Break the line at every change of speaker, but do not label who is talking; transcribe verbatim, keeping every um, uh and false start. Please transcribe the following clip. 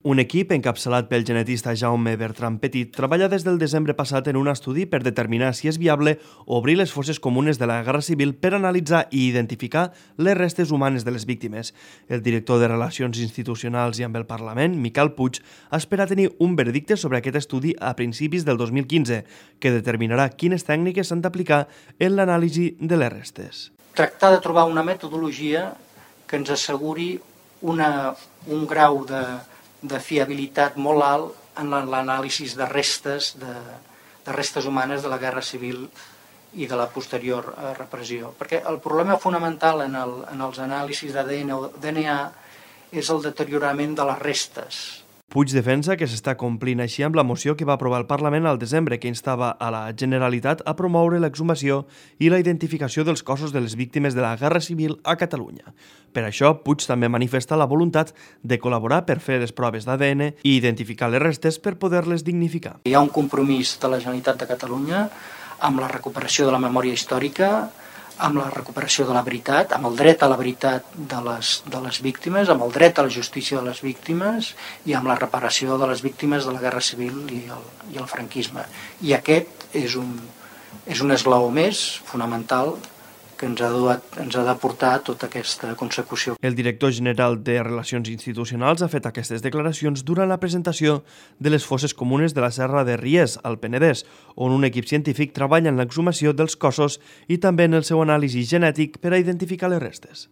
Un equip encapçalat pel genetista Jaume Bertran Petit treballa des del desembre passat en un estudi per determinar si és viable obrir les fosses comunes de la Guerra Civil per analitzar i identificar les restes humanes de les víctimes. El director de Relacions Institucionals i amb el Parlament, Miquel Puig, espera tenir un veredicte sobre aquest estudi a principis del dos mil quinze, que determinarà quines tècniques s'han d'aplicar en l'anàlisi de les restes.
Tractar de trobar una metodologia que ens asseguri una, un grau de de fiabilitat molt alt en l'anàlisi de restes de, de restes humanes de la Guerra Civil i de la posterior repressió. Perquè el problema fonamental en, el, en els anàlisis d'A D N o D N A és el deteriorament de les restes.
Puig defensa que s'està complint així amb la moció que va aprovar el Parlament al desembre, que instava a la Generalitat a promoure l'exhumació i la identificació dels cossos de les víctimes de la Guerra Civil a Catalunya. Per això, Puig també manifesta la voluntat de col·laborar per fer les proves d'A D N i identificar les restes per poder-les dignificar.
Hi ha un compromís de la Generalitat de Catalunya amb la recuperació de la memòria històrica, amb la recuperació de la veritat, amb el dret a la veritat de les, de les víctimes, amb el dret a la justícia de les víctimes i amb la reparació de les víctimes de la Guerra Civil i el, i el franquisme. I aquest és un, és un esglaó més fonamental que ens ha, duat, ens ha de portar tota aquesta consecució.
El director general de Relacions Institucionals ha fet aquestes declaracions durant la presentació de les fosses comunes de la Serra de Ries, al Penedès, on un equip científic treballa en l'exhumació dels cossos i també en el seu anàlisi genètic per a identificar les restes.